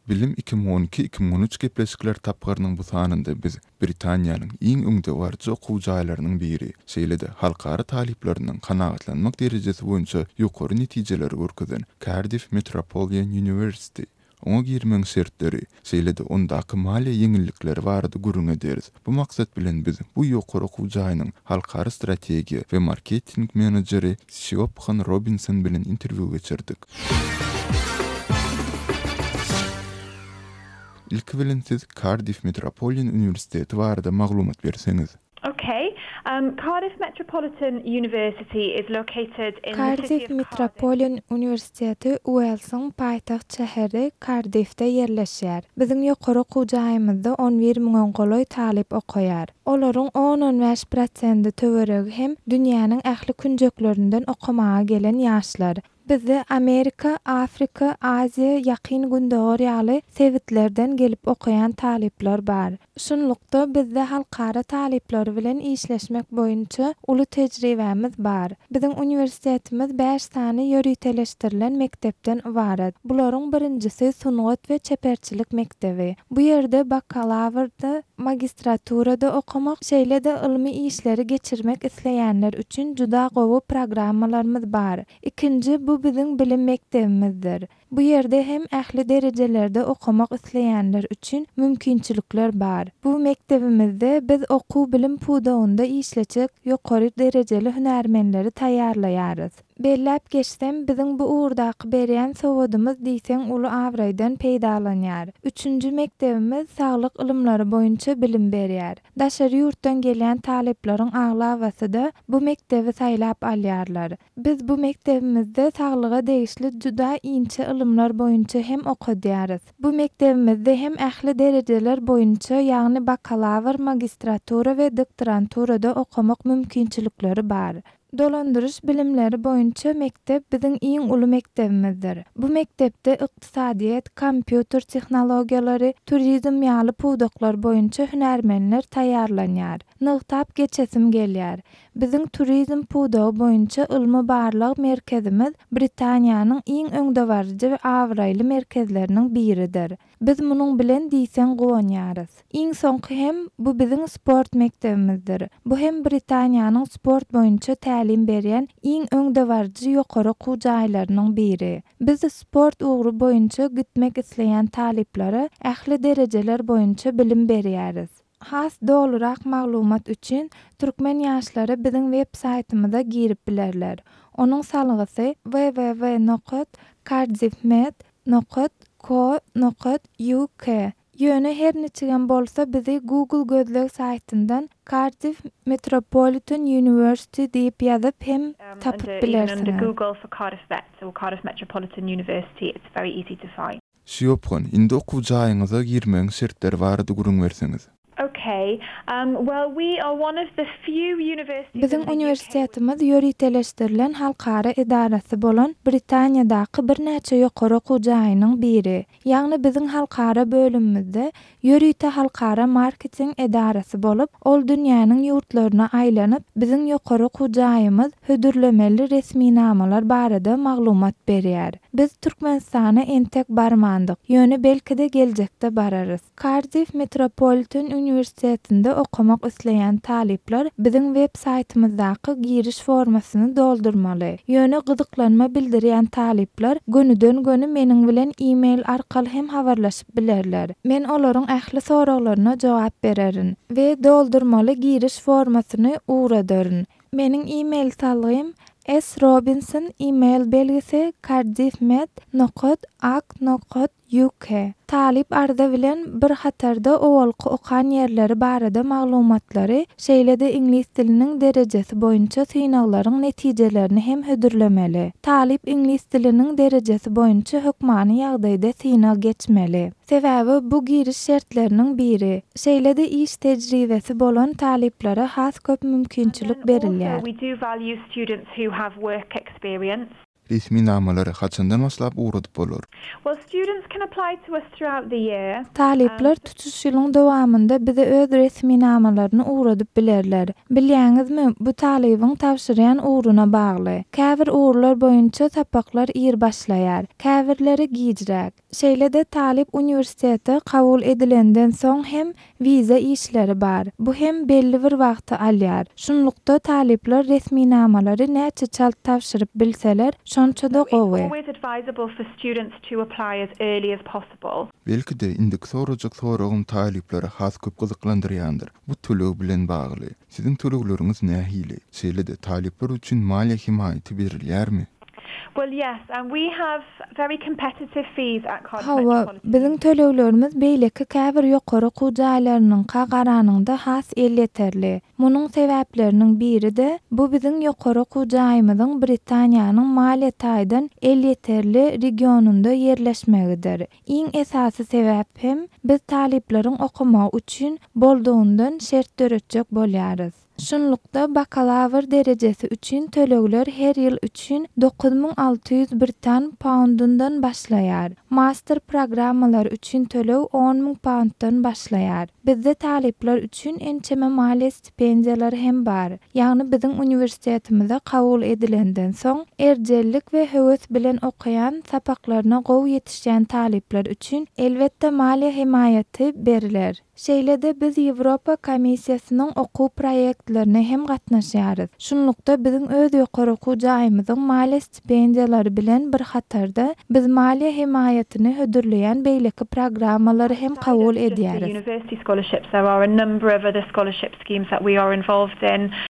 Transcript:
Bilim 2012, 2013 gepleşikler tapgyrynyň bu sanynda biz Britaniýanyň iň öňdebaryjy okuw jaýlarynyň biri, şeýle-de halkara talyplarynyň kanagatlanmak derejesi boýunça ýokary netijeleri görkezen Cardiff Metropolian University, oňa girmegiň şertleri, şeýle-de ondaky maliýe ýeňillikleri barada gürrüň ederis. Bu maksat bilen biz bu ýokary okuw jaýynyň halkara strategiýa we marketing menejeri Siobhan Robinson bilen interwýu geçirdik. Ilki bilen siz Cardiff Metropolian uniwersiteti barada maglumat berseňiz. Okay. Um, Cardiff Metropolitan University is located in the city Kardiff of Cardiff. Metropolian uniwersiteti Uelsiň paýtagt şäheri Kardiffde ýerleşýär. Biziň ýokary okuw jaýymyzda on bir müňe golaý talyp okaýar. Olaryň on-on bäş prosendi töweregi hem dünýäniň ähli künjeklerinden okamaga gelen ýaşlar. Bizde Amerika, Afrika, Aziýa, Ýakyn Gündogar ýaly sebitlerden gelip okaýan talyplar bar. Şunlukda, bizde halkara talyplary bilen işleşmek boýunça uly tejribämiz bar. Biziň uniwersitetimiz bäş sany ýöriteleşdirilen mekdepden ybarat. Bularyň birinjisi sungat we çeperçilik mekdebi. Bu ýerde bakalawrda, magistraturada okamak, şeýle-de ylmy işleri geçirmek isleýänler üçin juda gowy programmalarymyz bar. Ikinji, bu biziň bilim mekdebimizdir. Bu ýerde hem ähli derejelerde okamak isleýänler üçin mümkinçilikler bar. Bu mekdebimizde biz okuw-bilim pudagynda işlejek ýokary derejeli hünärmenleri taýýarlaýarys. Belläp geçsem, biziň bu ugurdaky berýän sowadymyz diýseň uly abraýdan peýdalanýar. Üçünji mekdebimiz saglyk ylymlary boýunça bilim berýär. Daşary ýurtdan gelýän talyplaryň aglabasy-da bu mekdebi saýlap alýarlar. Biz bu mekdebimizde saglyga degişli juda inçe ylymlar boýunça hem okadýarys. Bu mekdebimizde hem ähli derejeler boýunça, ýagny bakalawr, magistratura we doktoranturada okamak mümkinçilikleri bar. Dolandyryş bilimleri boýunça mekdep biziň iň uly mekdebimizdir. Bu mekdepde ykdysadyýet, kompýuter tehnologiýalary, turizm ýaly pudaklar boýunça hünärmenler taýýarlanýar. Nygtap geçesim gelýär. Biziň turizm pudagy boýunça ylmy-barlag merkezimiz Britaniýanyň iň öňdebaryjy we abraýly merkezleriniň biridir. Biz munuň bilen diýseň guwanýarys. Iň soňky hem bu biziň sport mekdebimizdir. Bu hem Britaniýanyň sport boýunça tälim berýän iň öňdebaryjy ýokary okuw jaýlarynyň biri. Biz sport ugry boýunça gitmek isleýän talyplara ähli derejeler boýunça bilim berýäris. Has dolurak maglumat üçin türkmen ýaşlary biziň web saýtymyza girip bilerler. Onuň salgysy, www nokat cardiffmed nokat co nokat uk. Ýöne her niçigem bolsa bizi Google gözleg saýtyndan Cardiff Metropolitan University diýip ýazyp hem tapyp Under even under bilersiňiz. Google for Cardiff Met or Cardiff Metropolitan University it's very easy to find. Siobhan, indi okuw jaýyňyza girmegiň şertleri barada gürrüň berseňiz. Okay. Um, well, we are one of the few universities Biziň in the UK with. uniwersitetimiz ýöriteleşdirilen halkara edarasy bolan Britaniýadaky birnäçe ýokary okuw jaýynyň biri. Ýagny biziň halkara bölümimizde ýörite halkara marketing edarasy bolup, ol dünýäniň ýurtlaryna aýlanyp, biziň ýokary okuw jaýymyz hödürlemeli resminamalar barada maglumat berýär. Biz Türkmenistana entek barmandyk, ýöne belki-de geljekde bararys. Kardiff Metropolitan uniwersitetinde okamak isleýän talyplar biziň web saýtymyzdaky giriş formasyny doldurmaly. Ýöne gyzyklanma bildirýän talyplar gönüden-göni meniň bilen e-mail arkaly hem habarlaşyp bilerler. Men olaryň ähli soraglaryna jogap bererin we doldurmaly giriş formasyny ugradaryn. Meniň e-mail salgym srobinson e-mail belgisi cardiffmed nokat ak nokat uk. Talyp arza bilen bir hatarda owalky okan ýerleri barada maglumatlary, şeýle-de iňlis diliniň derejesi boýunça synaglaryň netijelerini hem hödürlemeli. Talyp iňlis diliniň derejesi boýunça hökmany ýagdaýda synag geçmeli. Sebäbi bu giriş şertleriniň biri. Şeýle-de iş tejribesi bolan talyplara has köp And mümkinçilik then also berilýär. we do value students who have work experience. Resminamalary haçandan başlap ugradyp bolar? Well, students can apply to us throughout the year. Talyplar tutuş ýylyň dowamynda bize öz resminamalaryny ugradyp bilerler. Bilýäňizmi, bu talybyň tabşyrýan ugruna bagly. Käbir ugurlar boýunça sapaklar ir başlaýar, käbirleri gijräk. Şeýle-de talyp uniwersitete kabul edilenden soň hem wiza işleri bar. Bu hem belli bir wagty alýar. Şunlukda talyplar resminamalary näçe çalt tabşyryp bilseler, şonça-da gowy. Belki-de, indiki sorajak soragym talyplary has köp gyzyklandyrýandyr. Bu töleg bilen bagly. Siziň tölegleriňiz nähili? Şeýle-de, talyplar üçin maliýe hemaýaty berilýärmi? Well yes, and we have very competitive fees at Cardiff Hawa, Metropolitan biziň töleglerimiz beýleki käbir ýokary okuw jaýlarynyňka garanyňda has elýeterli. Munuň sebäpleriniň biri-de, bu biziň ýokary okuw jaýymyzyň Britaniýanyň maliýe taýdan elýeterli regionynda ýerleşmegidir. Iň esasy sebäp hem, biz talyplaryň okamagy üçin boldugyndan şert döretjek bolýarys. Şunlukda, bakalawr derejesi üçin tölegler her ýyl üçin 9600 britan paundyndan başlaýar. Master programmalary üçin töleg 10 000 pauntdan başlaýar. Bizde talyplar üçin ençeme maliýe stipendiýalary hem bar. Ýagny biziň uniwersitetimize kabul edilenden soň, erjellik we höwes bilen okaýan, sapaklaryna gowy ýetişýän talyplar üçin elbetde maliýe hemaýaty beriler. Şeýle-de biz Ýewropa Komissiýasynyň okuw proýektlerine hem gatnaşýarys. Şunlukda, biziň öz ýokary okuw jaýymyzyň maliýe stipendiýalary bilen bir hatarda, biz maliýe hemaýatyny hödürleýän beýleki programmalary hem kabul edýäris.